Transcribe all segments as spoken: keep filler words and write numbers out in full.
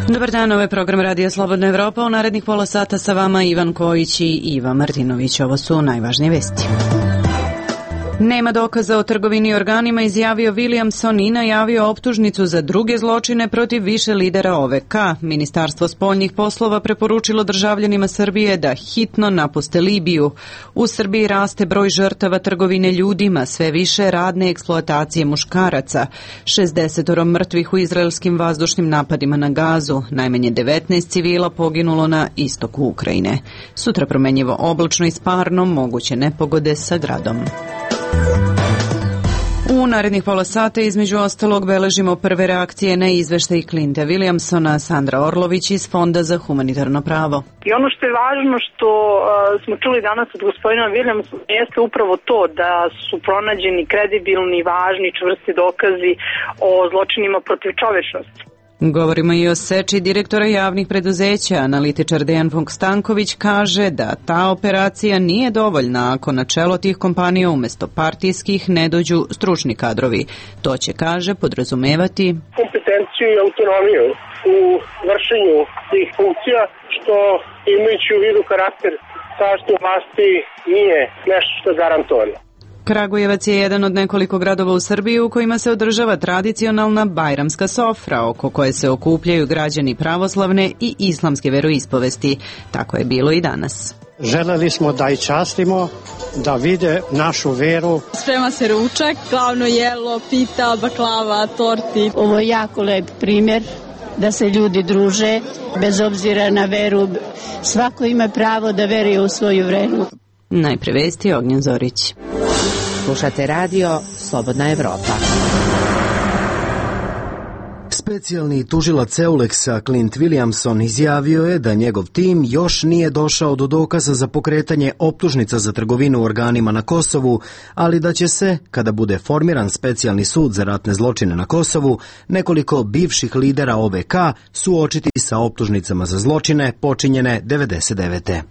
Dobar dan, ovo je program Radija Slobodna Evropa. U narednih pola sata sa vama Ivan Kojić i Iva Martinović. Ovo su najvažnije vesti. Nema dokaza o trgovini organima, izjavio Williamson i najavio optužnicu za druge zločine protiv više lidera O V K. Ministarstvo spoljnih poslova preporučilo državljanima Srbije da hitno napuste Libiju. U Srbiji raste broj žrtava trgovine ljudima, sve više radne eksploatacije muškaraca. šezdeset mrtvih u izraelskim vazdušnim napadima na Gazu. Najmanje devetnaest civila poginulo na istoku Ukrajine. Sutra promenjivo oblačno i sparno, moguće nepogode sa gradom. U narednih pola sata između ostalog beležimo prve reakcije na izveštaj Clintona Williamsona. Sandra Orlović iz Fonda za humanitarno pravo. I ono što je važno što uh, smo čuli danas od gospodina Williamsona jeste upravo to da su pronađeni kredibilni, važni, čvrsti dokazi o zločinima protiv čovečnosti. Govorimo i o seči direktora javnih preduzeća. Analitičar Dejan Vuk-Stanković kaže da ta operacija nije dovoljna ako na čelo tih kompanija umjesto partijskih ne dođu stručni kadrovi. To će, kaže, podrazumevati kompetenciju i autonomiju u vršenju tih funkcija, što imajući u vidu karakter sadašnje vlasti nije nešto što je garantovano. Kragujevac je jedan od nekoliko gradova u Srbiji u kojima se održava tradicionalna bajramska sofra, oko koje se okupljaju građani pravoslavne i islamske veroispovesti. Tako je bilo i danas. Želeli smo da i častimo, da vide našu veru. Sprema se ručak, glavno jelo, pita, baklava, torti. Ovo je jako lep primjer da se ljudi druže, bez obzira na veru. Svako ima pravo da veruje u svoju veru. Najpre vesti, Ognjen Zorić. Slušate radio Slobodna Evropa. Specijalni tužilac Euleksa Clint Williamson izjavio je da njegov tim još nije došao do dokaza za pokretanje optužnica za trgovinu organima na Kosovu, ali da će se, kada bude formiran specijalni sud za ratne zločine na Kosovu, nekoliko bivših lidera O V K suočiti sa optužnicama za zločine počinjene devedeset devete.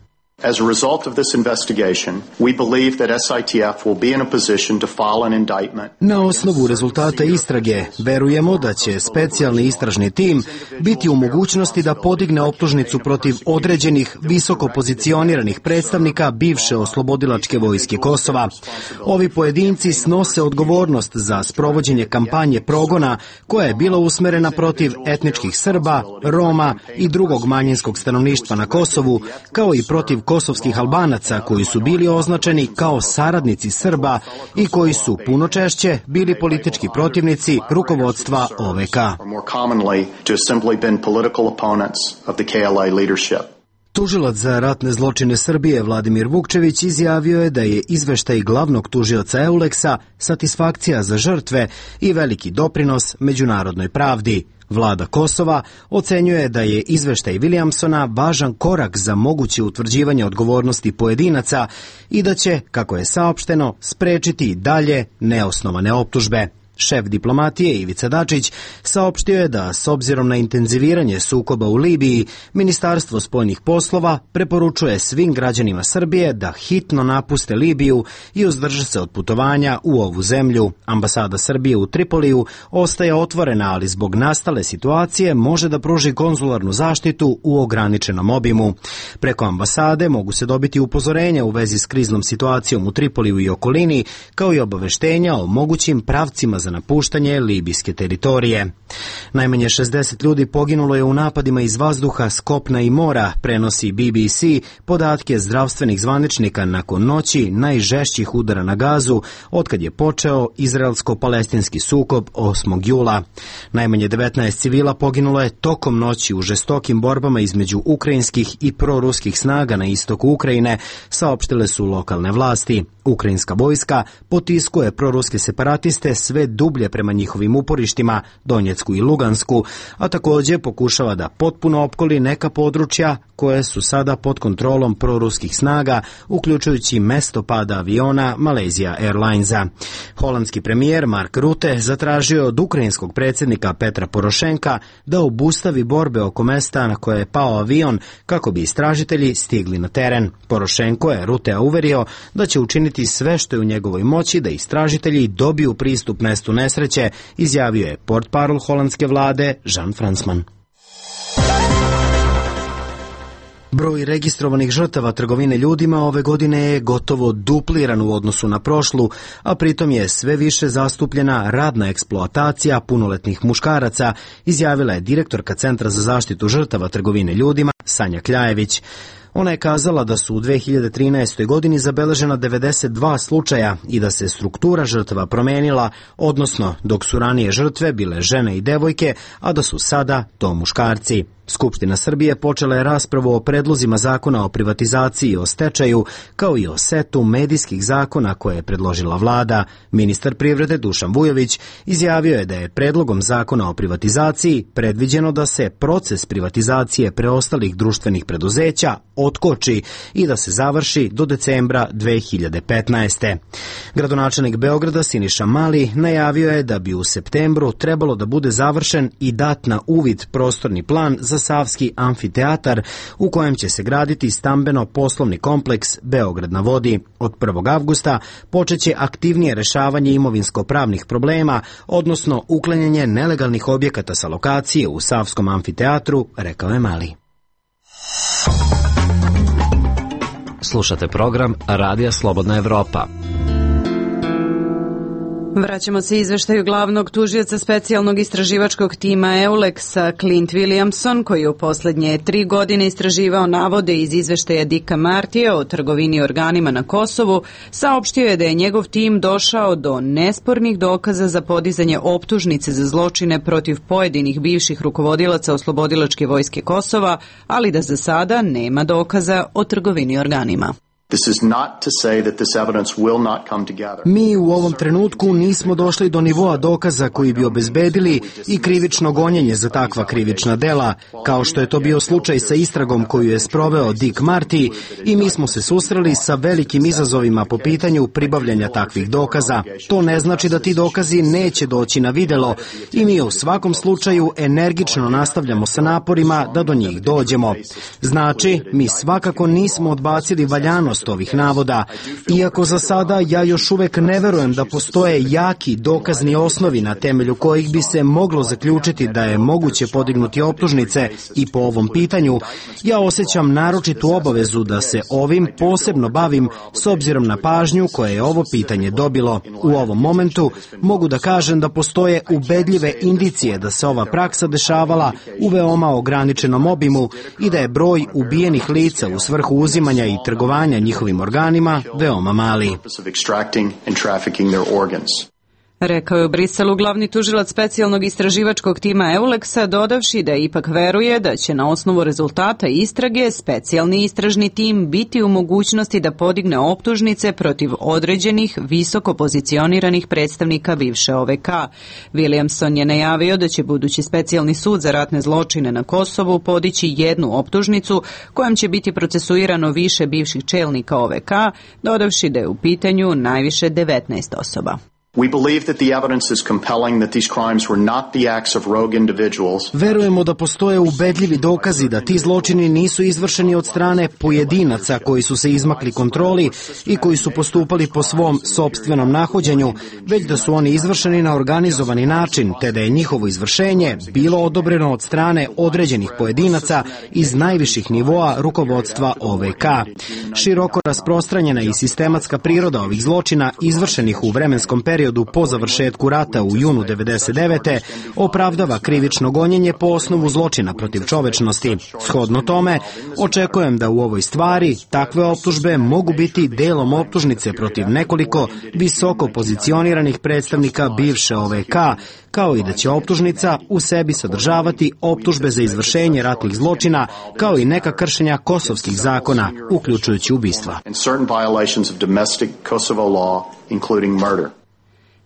As a result of this investigation, we believe that S I T F will be in a position to file an indictment. Na osnovu rezultata istrage, verujemo da će specijalni istražni tim biti u mogućnosti da podigne optužnicu protiv određenih visoko pozicioniranih predstavnika bivše oslobodilačke vojske Kosova. Ovi pojedinci snose odgovornost za sprovođenje kampanje progona koja je bila usmerena protiv etničkih Srba, Roma i drugog manjinskog stanovništva na Kosovu, kao i protiv kosovskih Albanaca koji su bili označeni kao saradnici Srba i koji su puno češće bili politički protivnici rukovodstva O V K. Tužilac za ratne zločine Srbije Vladimir Vukčević izjavio je da je izveštaj glavnog tužioca Euleksa satisfakcija za žrtve i veliki doprinos međunarodnoj pravdi. Vlada Kosova ocenjuje da je izveštaj Williamsona važan korak za moguće utvrđivanje odgovornosti pojedinaca i da će, kako je saopšteno, sprečiti dalje neosnovane optužbe. Šef diplomatije Ivica Dačić saopštio je da, s obzirom na intenziviranje sukoba u Libiji, Ministarstvo spoljnih poslova preporučuje svim građanima Srbije da hitno napuste Libiju i uzdrže se od putovanja u ovu zemlju. Ambasada Srbije u Tripoliju ostaje otvorena, ali zbog nastale situacije može da pruži konzularnu zaštitu u ograničenom obimu. Preko ambasade mogu se dobiti upozorenja u vezi s kriznom situacijom u Tripoliju i okolini, kao i obaveštenja o mogućim pravcima za napuštanje libijske teritorije. Najmanje šezdeset ljudi poginulo je u napadima iz vazduha, s kopna i mora, prenosi B B C podatke zdravstvenih zvaničnika nakon noći najžešćih udara na Gazu otkad je počeo izraelsko-palestinski sukob osmog jula. Najmanje devetnaest civila poginulo je tokom noći u žestokim borbama između ukrajinskih i proruskih snaga na istoku Ukrajine, saopštile su lokalne vlasti. Ukrajinska vojska potiskuje proruske separatiste sve dublje prema njihovim uporištima, Donjecku i Lugansku, a također pokušava da potpuno opkoli neka područja koje su sada pod kontrolom proruskih snaga, uključujući mesto pada aviona Malaysia Airlinesa. Holandski premijer Mark Rutte zatražio od ukrajinskog predsjednika Petra Porošenka da obustavi borbe oko mesta na koje je pao avion kako bi istražitelji stigli na teren. Porošenko je Ruttea uverio da će učiniti sve što je u njegovoj moći da istražitelji dobiju pristup mestu nesreće, izjavio je portparol holandske vlade Jan Fransman. Broj registrovanih žrtava trgovine ljudima ove godine je gotovo dupliran u odnosu na prošlu, a pritom je sve više zastupljena radna eksploatacija punoletnih muškaraca, izjavila je direktorka Centra za zaštitu žrtava trgovine ljudima Sanja Kljajević. Ona je kazala da su u dve hiljade trinaestoj. godini zabeležena devedeset dva slučaja i da se struktura žrtava promenila, odnosno dok su ranije žrtve bile žene i devojke, a da su sada to muškarci. Skupština Srbije počela je raspravu o predlozima zakona o privatizaciji i o stečaju, kao i o setu medijskih zakona koje je predložila vlada. Ministar privrede Dušan Vujović izjavio je da je predlogom zakona o privatizaciji predviđeno da se proces privatizacije preostalih društvenih preduzeća otkoči i da se završi do decembra dve hiljade petnaeste. Gradonačelnik Beograda Siniša Mali najavio je da bi u septembru trebalo da bude završen i dat na uvid prostorni plan za Savski amfiteatar u kojem će se graditi stambeno-poslovni kompleks Beograd na vodi. Od prvog avgusta počeće aktivnije rešavanje imovinsko-pravnih problema, odnosno uklanjanje nelegalnih objekata sa lokacije u Savskom amfiteatru, rekao je Mali. Slušate program Radija Slobodna Evropa. Vraćamo se izveštaju glavnog tužioca specijalnog istraživačkog tima EULEX-a Clint Williamson, koji je u poslednje tri godine istraživao navode iz izveštaja Dicka Martija o trgovini organima na Kosovu, saopštio je da je njegov tim došao do nespornih dokaza za podizanje optužnice za zločine protiv pojedinih bivših rukovodilaca oslobodilačke vojske Kosova, ali da za sada nema dokaza o trgovini organima. Mi u ovom trenutku nismo došli do nivoa dokaza koji bi obezbedili i krivično gonjenje za takva krivična dela, kao što je to bio slučaj sa istragom koju je sproveo Dick Marty, i mi smo se susreli sa velikim izazovima po pitanju pribavljanja takvih dokaza. To ne znači da ti dokazi neće doći na videlo i mi u svakom slučaju energično nastavljamo sa naporima da do njih dođemo. Znači, mi svakako nismo odbacili valjanost ovih navoda, iako za sada ja još uvek ne verujem da postoje jaki dokazni osnovi na temelju kojih bi se moglo zaključiti da je moguće podignuti optužnice i po ovom pitanju, ja osjećam naročitu obavezu da se ovim posebno bavim s obzirom na pažnju koje je ovo pitanje dobilo. U ovom momentu mogu da kažem da postoje ubedljive indicije da se ova praksa dešavala u veoma ograničenom obimu i da je broj ubijenih lica u svrhu uzimanja i trgovanja njihovim organima veoma mali. Rekao je u Briselu glavni tužilac specijalnog istraživačkog tima EULEX-a, dodavši da ipak veruje da će na osnovu rezultata istrage specijalni istražni tim biti u mogućnosti da podigne optužnice protiv određenih visoko pozicioniranih predstavnika bivše O V K. Williamson je najavio da će budući specijalni sud za ratne zločine na Kosovu podići jednu optužnicu kojom će biti procesuirano više bivših čelnika O V K, dodavši da je u pitanju najviše devetnaest osoba. Verujemo da postoje ubedljivi dokazi da ti zločini nisu izvršeni od strane pojedinaca koji su se izmakli kontroli i koji su postupali po svom sopstvenom nahođenju, već da su oni izvršeni na organizovani način, te da je njihovo izvršenje bilo odobreno od strane određenih pojedinaca iz najviših nivoa rukovodstva O V K. Široko rasprostranjena i sistematska priroda ovih zločina izvršenih u vremenskom periodu po završetku rata u junu devedeset devete opravdava krivično gonjenje po osnovu zločina protiv čovečnosti. Shodno tome, očekujem da u ovoj stvari takve optužbe mogu biti delom optužnice protiv nekoliko visoko pozicioniranih predstavnika bivše O V K, kao i da će optužnica u sebi sadržavati optužbe za izvršenje ratnih zločina, kao i neka kršenja kosovskih zakona, uključujući ubistva.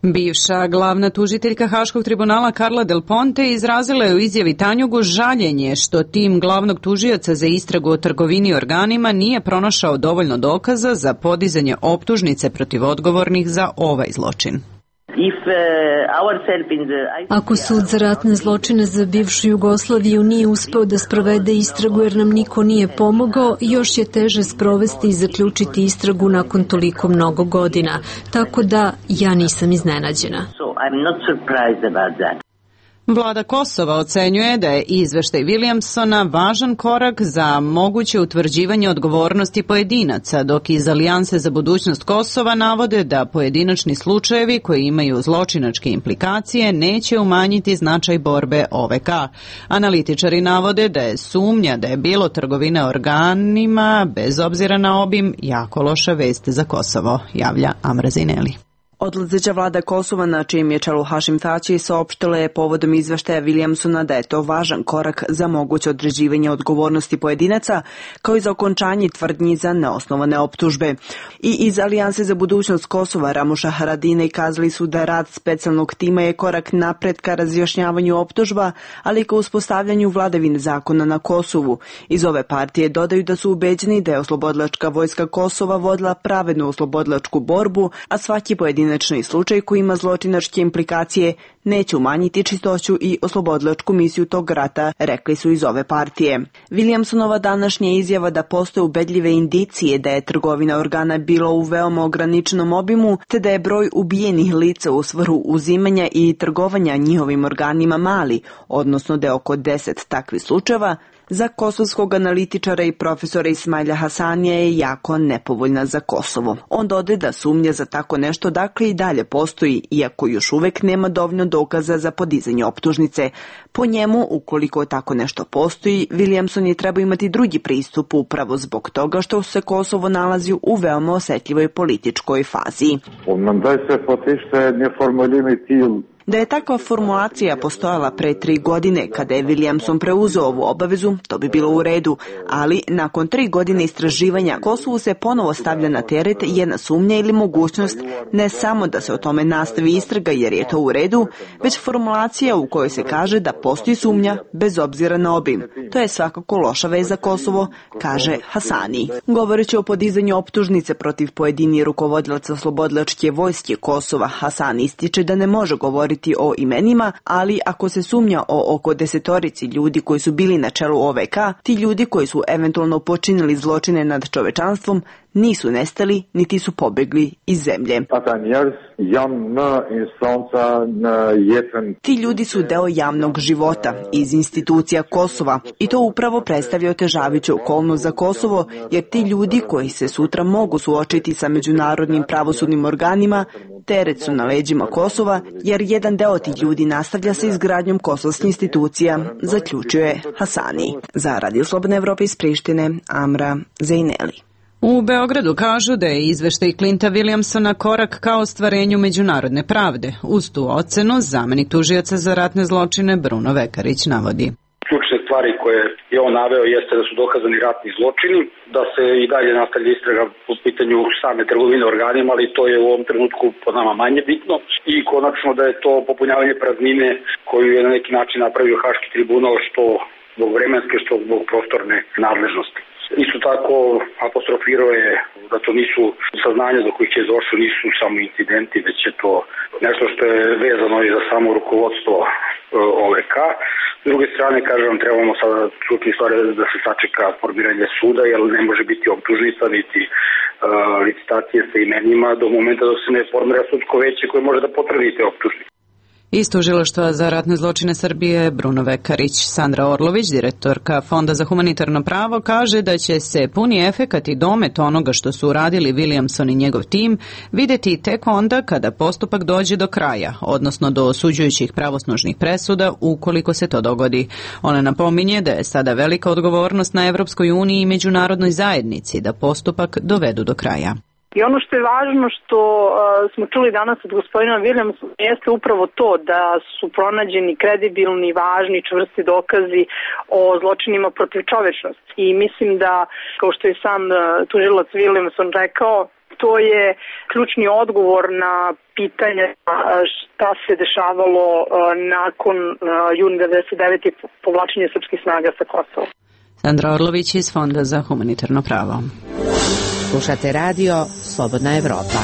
Bivša glavna tužiteljka Haškog tribunala Carla Del Ponte izrazila je u izjavi Tanjugu žaljenje što tim glavnog tužioca za istragu o trgovini organima nije pronašao dovoljno dokaza za podizanje optužnice protiv odgovornih za ovaj zločin. Ako sud za ratne zločine za bivšu Jugoslaviju nije uspeo da sprovede istragu jer nam niko nije pomogao, još je teže sprovesti i zaključiti istragu nakon toliko mnogo godina. Tako da ja nisam iznenađena. Vlada Kosova ocenjuje da je izveštaj Williamsona važan korak za moguće utvrđivanje odgovornosti pojedinaca, dok iz Alijanse za budućnost Kosova navode da pojedinačni slučajevi koji imaju zločinačke implikacije neće umanjiti značaj borbe O V K. Analitičari navode da je sumnja da je bilo trgovine organima, bez obzira na obim, jako loša vest za Kosovo, javlja Amra Zineli. Odlazeća vlada Kosova, na čijem je čelu Hašim Tači, saopštila je povodom izveštaja Williamsona da je to važan korak za moguće određivanje odgovornosti pojedinaca, kao i za okončanje tvrdnji za neosnovane optužbe. I iz Alijanse za budućnost Kosova, Ramuša Haradine, kazali su da rad specijalnog tima je korak napred ka razjašnjavanju optužba, ali i ka uspostavljanju vladavine zakona na Kosovu. Iz ove partije dodaju da su ubeđeni da je oslobodilačka vojska Kosova vodila pravednu oslobodilačku borbu, a svaki pojedinac slučaj koji ima zločinačke implikacije neće umanjiti čistoću i oslobodilačku misiju tog rata, rekli su iz ove partije. Williamsonova današnja izjava da postoje ubedljive indicije da je trgovina organa bilo u veoma ograničenom obimu, te da je broj ubijenih lica u svrhu uzimanja i trgovanja njihovim organima mali, odnosno da je oko deset takvih slučajeva, za kosovskog analitičara i profesora Ismaila Hasanija je jako nepovoljna za Kosovo. On dodaje da sumnja za tako nešto dakle i dalje postoji, iako još uvek nema dovoljno dokaza za podizanje optužnice. Po njemu, ukoliko tako nešto postoji, Williamson je treba imati drugi pristup upravo zbog toga što se Kosovo nalazi u veoma osetljivoj političkoj fazi. Da je takva formulacija postojala pre tri godine kada je Williamson preuzeo ovu obavezu, to bi bilo u redu, ali nakon tri godine istraživanja Kosovu se ponovo stavlja na teret jedna sumnja ili mogućnost ne samo da se o tome nastavi istraga jer je to u redu, već formulacija u kojoj se kaže da postoji sumnja bez obzira na obim. To je svakako loša vez za Kosovo, kaže Hasani. Govoreći o podizanju optužnice protiv pojedini rukovodilaca oslobodilačke vojske Kosova, Hasani ističe da ne može govoriti o imenima, ali ako se sumnja o oko desetorici ljudi koji su bili na čelu O V K, ti ljudi koji su eventualno počinili zločine nad čovečanstvom nisu nestali, niti su pobegli iz zemlje. Ti ljudi su deo javnog života, iz institucija Kosova, i to upravo predstavlja otežavajuću okolnost za Kosovo, jer ti ljudi koji se sutra mogu suočiti sa međunarodnim pravosudnim organima, teret su na leđima Kosova, jer jedan deo tih ljudi nastavlja sa izgradnjom kosovskih institucija, zaključuje Hasani. Za Radio Slobodne Evrope iz Prištine, Amra Zejneli. U Beogradu kažu da je izveštaj Clinta Williamsona korak ka ostvarenju međunarodne pravde. Uz tu ocenu zamenik tužioca za ratne zločine Bruno Vekarić navodi. Ključne stvari koje je on naveo jeste da su dokazani ratni zločini, da se i dalje nastavlja istraga po pitanju same trgovine organima, ali to je u ovom trenutku po nama manje bitno, i konačno da je to popunjavanje praznine koju je na neki način napravio Haški tribunal, što zbog vremenske, što zbog prostorne nadležnosti. Isto tako apostrofirao je da to nisu saznanja do kojih je došlo, nisu samo incidenti, već je to nešto što je vezano i za samo rukovodstvo O V K. S druge strane, kažem, trebamo sada čuti stvari da se sačeka formiranje suda, jer ne može biti optužnica niti uh, licitacije sa imenima do momenta dok se ne formira sudsko veće koje može da potvrdi te optužnice. Iz Tužilaštva za ratne zločine Srbije Bruno Vekarić. Sandra Orlović, direktorka Fonda za humanitarno pravo, kaže da će se puni efekat i domet onoga što su uradili Williamson i njegov tim videti tek onda kada postupak dođe do kraja, odnosno do osuđujućih pravosnažnih presuda ukoliko se to dogodi. Ona napominje da je sada velika odgovornost na Evropskoj uniji i međunarodnoj zajednici da postupak dovedu do kraja. I ono što je važno što uh, smo čuli danas od gospodina Williamsona jeste upravo to da su pronađeni kredibilni, važni, čvrsti dokazi o zločinima protiv čovečnosti. I mislim da, kao što je sam uh, tužilac Williamson rekao, to je ključni odgovor na pitanje uh, šta se dešavalo uh, nakon uh, juna devedeset devete povlačenja srpskih snaga sa Kosova. Sandra Orlović iz Fonda za humanitarno pravo. Slušate radio Slobodna Evropa.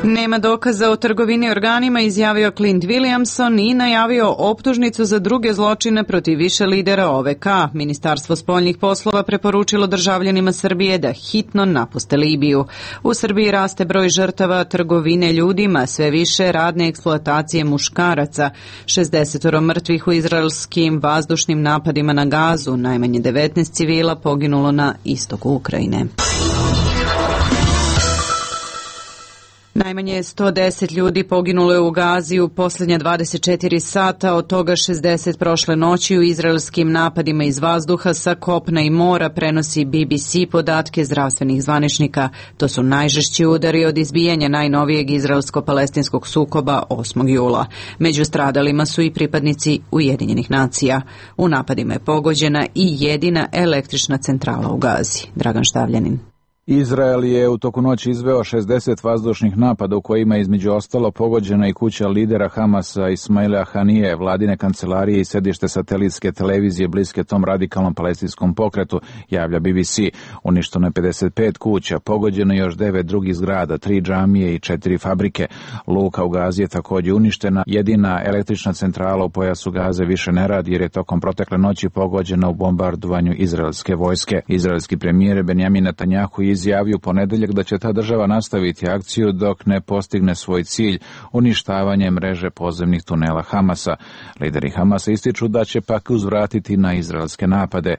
Nema dokaza o trgovini organima, izjavio Clint Williamson i najavio optužnicu za druge zločine protiv više lidera O V K. Ministarstvo spoljnih poslova preporučilo državljanima Srbije da hitno napuste Libiju. U Srbiji raste broj žrtava trgovine ljudima, sve više radne eksploatacije muškaraca. šezdeset mrtvih u izraelskim vazdušnim napadima na Gazu, najmanje devetnaest civila poginulo na istoku Ukrajine. Najmanje sto deset ljudi poginulo je u Gazi u posljednja dvadeset četiri sata, od toga šezdeset prošle noći u izraelskim napadima iz vazduha, sa kopna i mora, prenosi B B C podatke zdravstvenih zvaničnika. To su najžešći udari od izbijanja najnovijeg izraelsko-palestinskog sukoba osmog jula. Među stradalima su i pripadnici Ujedinjenih nacija. U napadima je pogođena i jedina električna centrala u Gazi. Dragan Štavljanin. Izrael je u toku noći izveo šezdeset vazdušnih napada u kojima je između ostalo pogođena i kuća lidera Hamasa Ismaila Hanije, vladine kancelarije i sedište satelitske televizije bliske tom radikalnom palestinskom pokretu, javlja B B C. Uništeno je pedeset pet kuća, pogođeno još devet drugih zgrada, tri džamije i četiri fabrike. Luka u Gazi je također uništena. Jedina električna centrala u pojasu Gaze više ne radi jer je tokom protekle noći pogođena u bombardovanju izraelske vojske. Izraelski premijer Benjamin Netanjahu izjavio ponedeljak da će ta država nastaviti akciju dok ne postigne svoj cilj, uništavanje mreže podzemnih tunela Hamasa. Lideri Hamasa ističu da će pak uzvratiti na izraelske napade.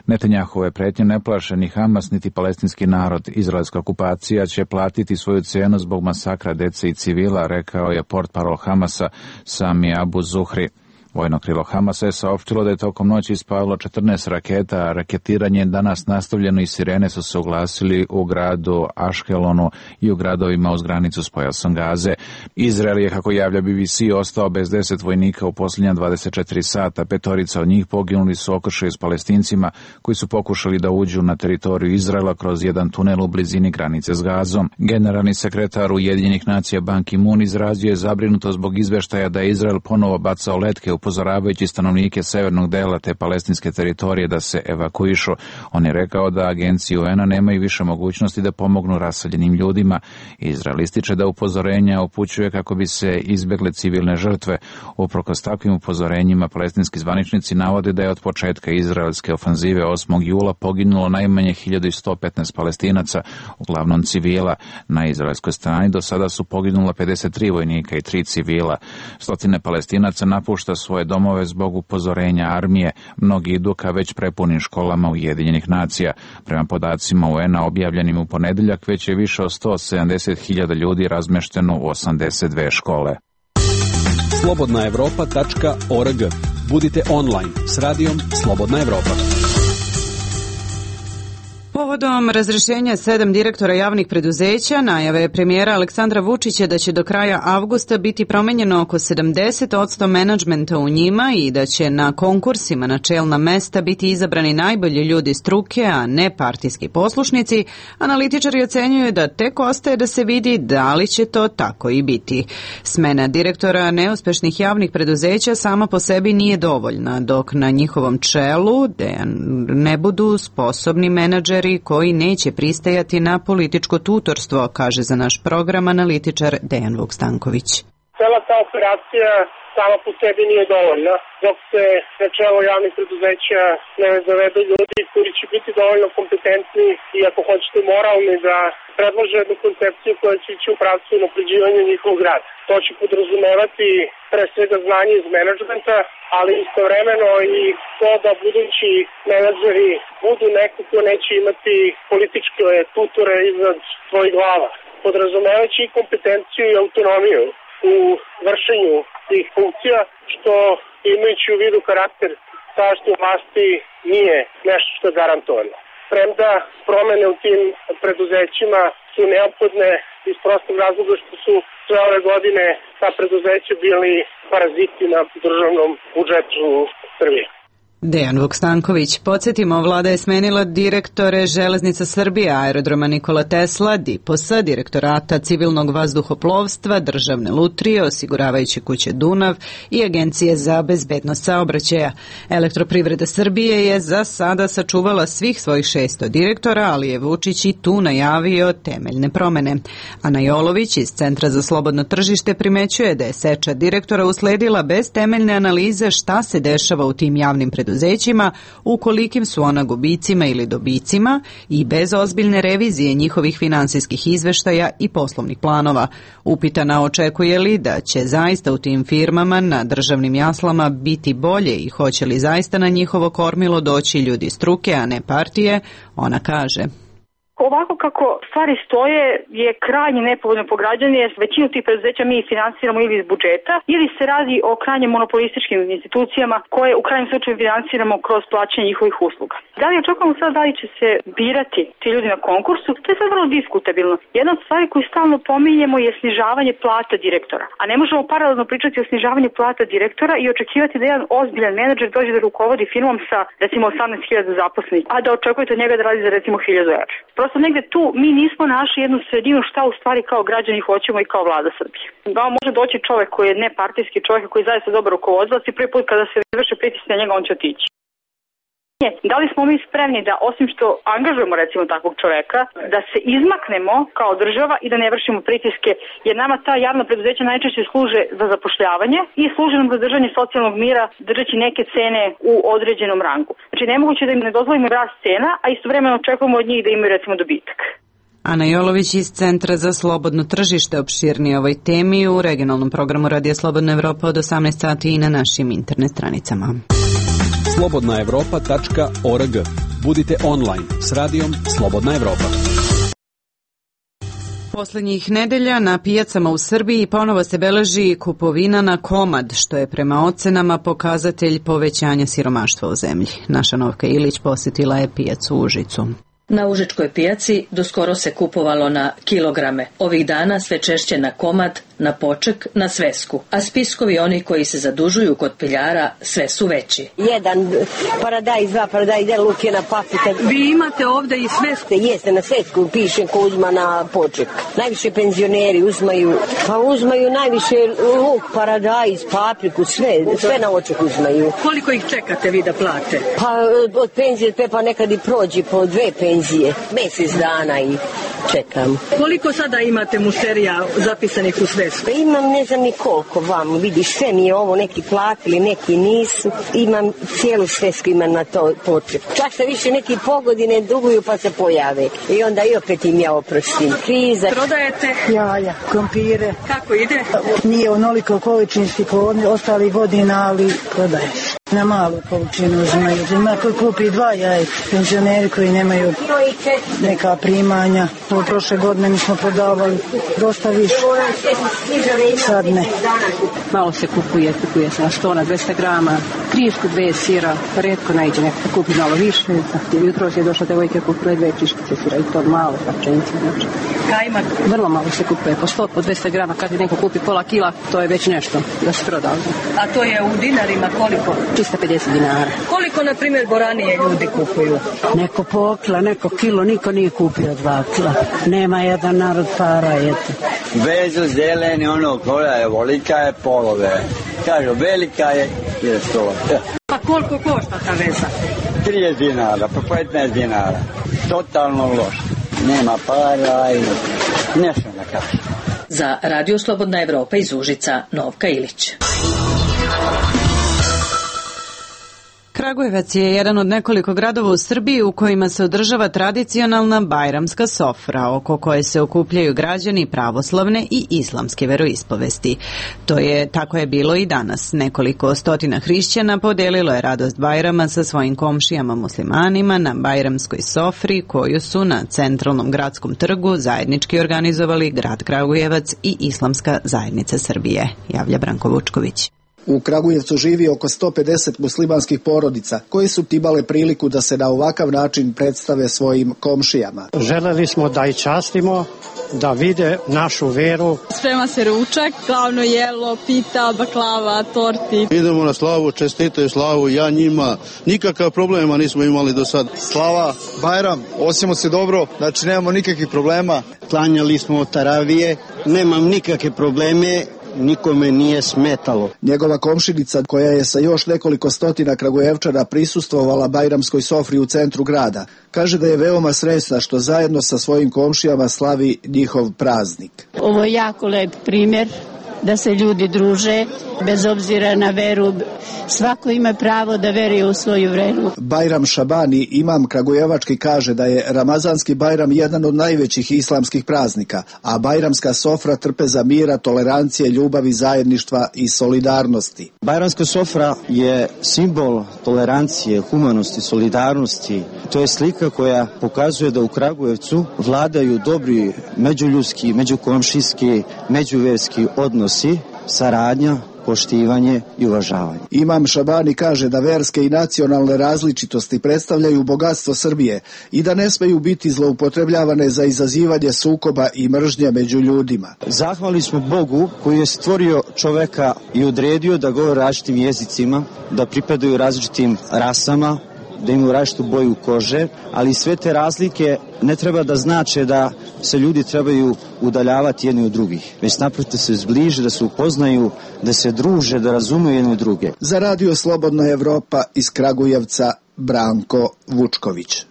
Netanjahove pretnje ne plaše ni Hamas niti palestinski narod. Izraelska okupacija će platiti svoju cenu zbog masakra dece i civila, rekao je portparol Hamasa Sami Abu Zuhri. Vojno krilo Hamasa je saopštilo da je tokom noći ispalilo četrnaest raketa, a raketiranje je danas nastavljeno i sirene su se oglasili u gradu Aškelonu i u gradovima uz granicu s pojasom Gaze. Izrael je, kako javlja B B C, ostao bez deset vojnika u posljednja dvadeset četiri sata. Petorica od njih poginuli su okršaj s Palestincima koji su pokušali da uđu na teritoriju Izraela kroz jedan tunel u blizini granice s Gazom. Generalni sekretar Ujedinjenih nacija Ban Ki-moon izrazio je zabrinutost zbog izveštaja da je Izrael ponovo bacao letke u upozoravajući stanovnike severnog dela te palestinske teritorije da se evakuišu. On je rekao da agencije U N-a nemaju više mogućnosti da pomognu raseljenim ljudima. Izrael ističe da upozorenja upućuje kako bi se izbjegle civilne žrtve. Uprkos takvim upozorenjima, palestinski zvaničnici navode da je od početka izraelske ofanzive osmog jula poginulo najmanje hiljadu sto petnaest Palestinaca, uglavnom civila. Na izraelskoj strani do sada su poginula pedeset tri vojnika i tri civila. Stotine Palestinaca napušta svoje domove zbog upozorenja armije. Mnogi idu ka već prepunim školama Ujedinjenih nacija. Prema podacima U N-a objavljenim u ponedeljak, već je više od sto sedamdeset hiljada ljudi razmešteno u osamdeset dve škole. slobodna evropa tačka org. Budite online s radijom Slobodna Evropa. Povodom razrešenja sedam direktora javnih preduzeća, najave premijera Aleksandra Vučića da će do kraja avgusta biti promenjeno oko sedamdeset posto menadžmenta u njima i da će na konkursima na čelna mesta biti izabrani najbolji ljudi struke, a ne partijski poslušnici, analitičari ocenjuju da tek ostaje da se vidi da li će to tako i biti. Smena direktora neuspešnih javnih preduzeća sama po sebi nije dovoljna, dok na njihovom čelu ne budu sposobni menadžeri koji neće pristajati na političko tutorstvo, kaže za naš program analitičar Dejan Vuk-Stanković. Cela ta operacija sama po sebi nije dovoljna, dok se na čelo javnih preduzeća ne zavedu ljudi koji će biti dovoljno kompetentni i, ako hoćete, moralni da predlože jednu koncepciju koja će ići u pravcu unapređivanja njihovog rada. To će podrazumevati pre svega znanje iz menadžmenta, ali istovremeno i to da budući menadžeri budu neko ko neće imati političke tutore iznad svojih glava. Podrazumevajući i kompetenciju i autonomiju u vršenju tih funkcija, što imajući u vidu karakter sadašnje vlasti nije nešto što je garantovano. Premda promene u tim preduzećima su neophodne iz prostog razloga što su sve ove godine ta preduzeća bili paraziti na državnom budžetu Srbije. Dejan Vukstanković. Podsjetimo, vlada je smenila direktore Železnica Srbije, Aerodroma Nikola Tesla, Diposa, Direktorata civilnog vazduhoplovstva, Državne lutrije, osiguravajuće kuće Dunav i Agencije za bezbednost saobraćaja. Elektroprivreda Srbije je za sada sačuvala svih svojih šesto direktora, ali je Vučić i tu najavio temeljne promene. Ana Jolović iz Centra za slobodno tržište primećuje da je seča direktora usledila bez temeljne analize šta se dešava u tim javnim preduzećima, u kolikim su ona gubicima ili dobicima i bez ozbiljne revizije njihovih finansijskih izveštaja i poslovnih planova. Upitana očekuje li da će zaista u tim firmama na državnim jaslama biti bolje i hoće li zaista na njihovo kormilo doći ljudi struke, a ne partije, ona kaže. Ovako kako stvari stoje je krajnje nepovoljno po građane, jer većinu tih preduzeća mi finansiramo ili iz budžeta ili se radi o krajnje monopolističkim institucijama koje u krajnjem slučaju finansiramo kroz plaćanje njihovih usluga. Da li očekujemo sad da li će se birati ti ljudi na konkursu? To je sad vrlo diskutabilno. Jedna od stvari koju stalno pominjemo je snižavanje plata direktora. A ne možemo paralelno pričati o snižavanju plata direktora i očekivati da jedan ozbiljan menadžer dođe da rukovodi firmom sa recimo osamnaest hiljada zaposlenih, a da očekujete od njega da radi za recimo hiljadu evra. Prosto negde tu mi nismo našli jednu sredinu šta u stvari kao građani hoćemo i kao vlada Srbije. Da može doći čovek koji je nepartijski čovek koji je zaista dobar rukovodilac i prvi put kada se izvrše pritisak na njega on će otići. Da li smo mi spremni da osim što angažujemo recimo takvog čoveka, da se izmaknemo kao država i da ne vršimo pritiske, jer nama ta javna preduzeća najčešće služe za zapošljavanje i služe nam za držanje socijalnog mira, držeći neke cene u određenom rangu. Znači nemoguće da im ne dozvolimo rast cena, a istovremeno očekujemo od njih da imaju recimo dobitak. Ana Jolović iz Centra za slobodno tržište opširnije ovoj temi u regionalnom programu Radija Slobodna Evropa od osamnaest sati i na našim internet stranicama. slobodna evropa tačka org. Budite online s radijom Slobodna Evropa. Poslednjih nedelja na pijacama u Srbiji ponovo se beleži kupovina na komad, što je prema ocenama pokazatelj povećanja siromaštva u zemlji. Naša Novka Ilić posjetila je pijacu u Užicu. Na Užičkoj pijaci doskoro se kupovalo na kilograme. Ovih dana sve češće na komad, na poček, na svesku. A spiskovi oni koji se zadužuju kod piljara sve su veći. Jedan paradajz, dva paradajz, jedan luk, jedna paprika. Vi imate ovde i svesku? Jeste, na svesku piše ko uzma na poček. Najviše penzioneri uzmaju, pa uzmaju najviše luk, paradajz, papriku, sve, sve na oček uzmaju. Koliko ih čekate vi da plate? Pa od penzije pa nekad i prođe po dve penzije. Mesec dana i čekam. Koliko sada imate mušterija zapisanih u svesku? Pa imam ne znam ni koliko vam, vidiš, sve mi je ovo neki platili, neki nisu. Imam cijelu svesku imam na to poček. Čak se više neki pogodine duguju pa se pojave. I onda i opet im ja oprostim. Kriza. Prodajete? Jaja, krompire. Kako ide? Nije onoliko količinski po ostalih godina, ali prodaje. Na malu količinu uzmaju. Ima koji kupi dva jaja, penzioneri koji nemaju neka primanja. Ovo prošle godine mi smo prodavali dosta više. Sad ne. Malo se kupuje, kupuje se na sto na dvesta grama, krišku dve sira, redko najde neko kupi malo više. Jutro je došla devojka kupuje dve kriškice sira i to malo pačenice. Znači. Kajmak? Vrlo malo se kupuje, po sto, po dvesta grama, kad je neko kupi pola kila, to je već nešto da se proda. A to je u dinarima koliko? tristo pedeset dinara. Koliko, na primjer, boranije ljudi kupuju? Neko po kila, neko kilo, niko nije kupio dva kila. Nema jedan narod para, eto. Vezu zeleni, ono, koja je volika je polove. Kažu, velika je, je sto. Pa koliko košta ta veza? trideset dinara, pa petnaest dinara. Totalno loš. Nema para i nešto da kaže. Za Radio Slobodna Evropa iz Užica, Novka Ilić. Kragujevac je jedan od nekoliko gradova u Srbiji u kojima se održava tradicionalna bajramska sofra, oko koje se okupljaju građani pravoslavne i islamske veroispovesti. To je, tako je bilo i danas. Nekoliko stotina hrišćana podelilo je radost Bajrama sa svojim komšijama muslimanima na bajramskoj sofri, koju su na centralnom gradskom trgu zajednički organizovali grad Kragujevac i Islamska zajednica Srbije, javlja Branko Vučković. U Kragujevcu živi oko sto pedeset muslimanskih porodica koji su imale priliku da se na ovakav način predstave svojim komšijama. Želeli smo da i častimo, da vide našu veru. Sprema se ručak, glavno jelo, pita, baklava, torti. Idemo na slavu, čestitaju slavu, ja njima. Nikakav problema nismo imali do sad. Slava, Bajram, osjećamo se dobro, znači nemamo nikakvih problema. Klanjali smo taravije, nemam nikakve probleme. Nikome nije smetalo. Njegova komšinica, koja je sa još nekoliko stotina Kragujevčana prisustvovala bajramskoj sofri u centru grada, kaže da je veoma srećna što zajedno sa svojim komšijama slavi njihov praznik. Ovo je jako lep primjer da se ljudi druže, bez obzira na veru. Svako ima pravo da veruje u svoju veru. Bajram Šabani, imam kragujevački, kaže da je Ramazanski Bajram jedan od najvećih islamskih praznika, a bajramska sofra trpeza mira, tolerancije, ljubavi, zajedništva i solidarnosti. Bajramska sofra je simbol tolerancije, humanosti, solidarnosti. To je slika koja pokazuje da u Kragujevcu vladaju dobri međuljudski, međukomšijski, međuverski odnosi, saradnja, poštivanje i uvažavanje. Imam Šabani kaže da verske i nacionalne različitosti predstavljaju bogatstvo Srbije i da ne smeju biti zloupotrebljavane za izazivanje sukoba i mržnje među ljudima. Zahvalni smo Bogu koji je stvorio čoveka i odredio da govore različitim jezicima, da pripadaju različitim rasama, da imaju različitu boju kože, ali sve te razlike ne treba da znače da se ljudi trebaju udaljavati jedni od drugih, već naprotiv se zbliže, da se upoznaju, da se druže, da razumeju jedni od druge. Za Radio Slobodna Evropa iz Kragujevca, Branko Vučković.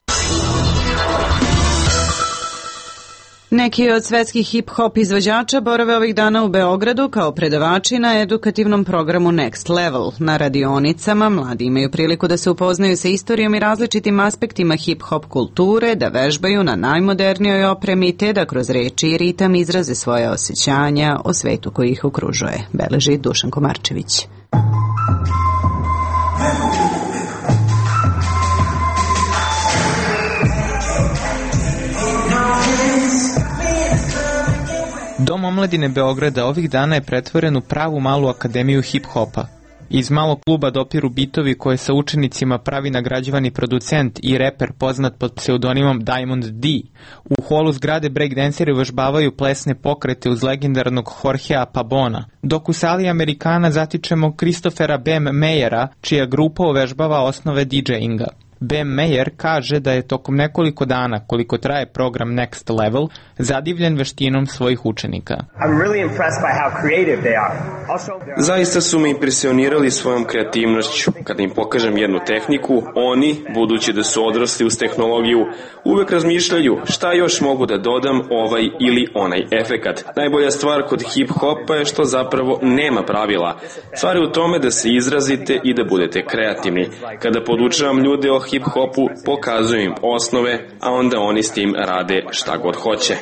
Neki od svetskih hip-hop izvođača borave ovih dana u Beogradu kao predavači na edukativnom programu Next Level. Na radionicama mladi imaju priliku da se upoznaju sa istorijom i različitim aspektima hip-hop kulture, da vežbaju na najmodernijoj opremi te da kroz reči i ritam izraze svoje osjećanja o svetu koji ih okružuje, beleži Dušan Komarčević. Dom omladine Beograda ovih dana je pretvoren u pravu malu akademiju hip-hopa. Iz malog kluba dopiru bitovi koje sa učenicima pravi nagrađivani producent i reper poznat pod pseudonimom Diamond D. U holu zgrade breakdanceri vežbavaju plesne pokrete uz legendarnog Jorgea Pabona, dok u sali Amerikana zatičemo Christophera Bam Mayera, čija grupa uvežbava osnove DJinga. Bam Mayer kaže da je tokom nekoliko dana, koliko traje program Next Level, zadivljen veštinom svojih učenika. Zaista su me impresionirali svojom kreativnošću. Kada im pokažem jednu tehniku, oni, budući da su odrasli uz tehnologiju, uvek razmišljaju šta još mogu da dodam ovaj ili onaj efekat. Najbolja stvar kod hip-hopa je što zapravo nema pravila. Stvar je u tome da se izrazite i da budete kreativni. Kada podučavam ljude o hip-hopu, pokazujem im osnove, a onda oni s tim rade šta god hoće.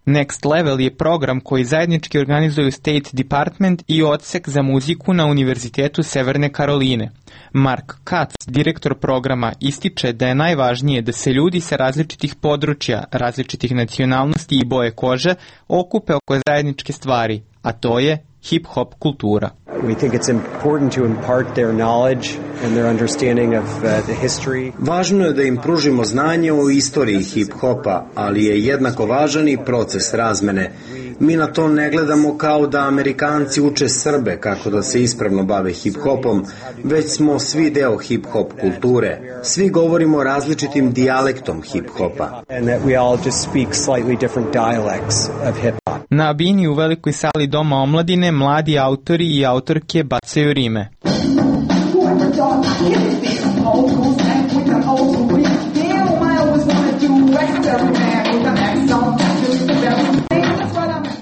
Next Level je program koji zajednički organizuju State Department i odsek za muziku na Univerzitetu Severne Karoline. Mark Katz, direktor programa, ističe da je najvažnije da se ljudi sa različitih područja, različitih nacionalnosti i boje kože okupe oko zajedničke stvari, a to je hip-hop kultura. We think it's important to impart their knowledge and their understanding of uh, the history. Važno je da im pružimo znanje o istoriji hip-hopa, ali je jednako važan i proces razmene. Mi na to ne gledamo kao da Amerikanci uče Srbe kako da se ispravno bave hip-hopom, već smo svi deo hip-hop kulture. Svi govorimo različitim dijalektom hip-hopa. And that we all just speak slightly different dialects of hip-hop. Na bini u velikoj sali Doma omladine mladi autori i autorke bacaju rime.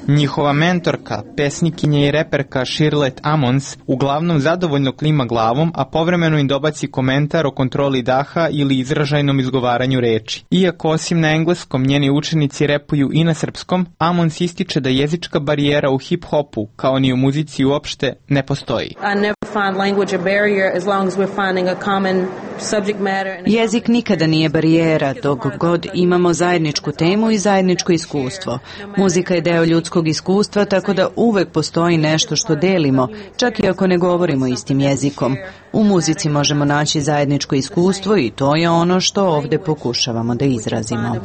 Njihova mentorka, pesnikinja i reperka Shirley Ammons uglavnom zadovoljno klima glavom, a povremeno im dobaci komentar o kontroli daha ili izražajnom izgovaranju reči. Iako osim na engleskom njeni učenici repuju i na srpskom, Ammons ističe da jezička barijera u hip-hopu, kao ni u muzici uopšte, ne postoji. I never find language a barrier as long as we're finding a common subject matter. Jezik nikada nije barijera dok god imamo zajedničku temu i zajedničko iskustvo. Muzika je deo ljudskog iskustva, tako da uvek postoji nešto što delimo, čak i ako ne govorimo istim jezikom. U muzici možemo naći zajedničko iskustvo i to je ono što ovde pokušavamo da izrazimo.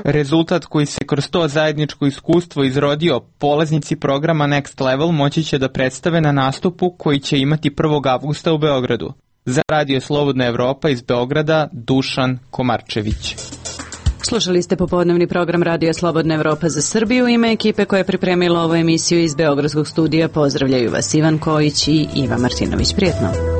Rezultat koji se kroz to zajedničko iskustvo izrodio, polaznici programa Next Level moći će da predstave na nastupu koji će imati prvog avgusta u Beogradu. Za Radio Slobodna Evropa iz Beograda, Dušan Komarčević. Slušali ste popodnevni program Radio Slobodna Evropa za Srbiju. Ime ekipe koja je pripremila ovu emisiju iz Beogradskog studija pozdravljaju vas Ivan Kojić i Iva Martinović. Prijetno.